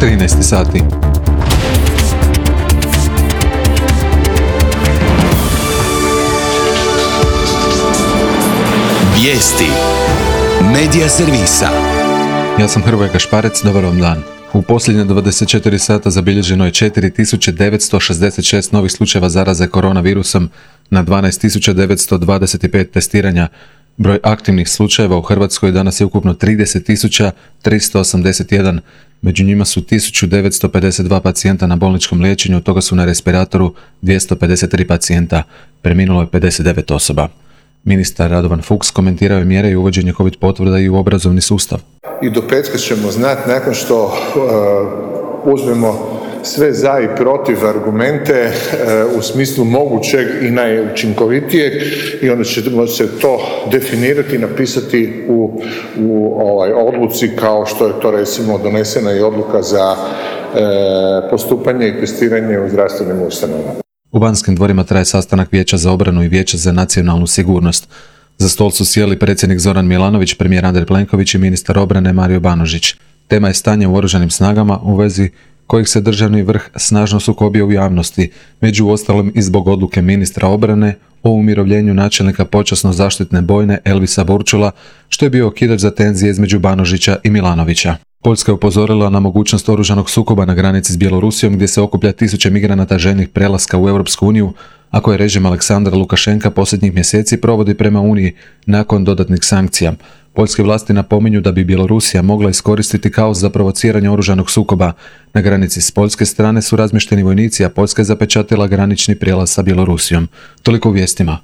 13 sati. Vijesti Medija servisa. Ja sam Hrvoje Gašparec, dobar vam dan. U posljednje 24 sata zabilježeno je 4966 novih slučajeva zaraze koronavirusom na 12925 testiranja. Broj aktivnih slučajeva u Hrvatskoj danas je ukupno 30.381, među njima su 1952 pacijenta na bolničkom liječenju, od toga su na respiratoru 253 pacijenta, preminulo je 59 osoba. Ministar Radovan Fuchs komentirao je mjere i uvođenje COVID potvrda i u obrazovni sustav. I do petka ćemo znati, nakon što uzmemo sve za i protiv argumente u smislu mogućeg i najučinkovitijeg, i onda ćemo se to definirati i napisati u odluci, kao što je to recimo donesena i odluka za postupanje i testiranje u zdravstvenim ustanovama. U Banskim dvorima traje sastanak Vijeća za obranu i Vijeća za nacionalnu sigurnost. Za stol su sjeli predsjednik Zoran Milanović, premijer Andrej Plenković i ministar obrane Mario Banožić. Tema je stanje u oružanim snagama, u vezi kojih se državni vrh snažno sukobio u javnosti, među ostalim i zbog odluke ministra obrane o umirovljenju načelnika počasno-zaštitne bojne Elvisa Borčula, što je bio okidač za tenzije između Banožića i Milanovića. Poljska je upozorila na mogućnost oružanog sukoba na granici s Bjelorusijom, gdje se okuplja tisuće migranata željnih prelaska u Europsku uniju, a koje režim Aleksandra Lukašenka posljednjih mjeseci provodi prema Uniji nakon dodatnih sankcija. Poljske vlasti napominju da bi Bjelorusija mogla iskoristiti kaos za provociranje oružanog sukoba. Na granici s poljske strane su razmješteni vojnici, a Poljska je zapečatila granični prijelaz sa Bjelorusijom. Toliko u vijestima.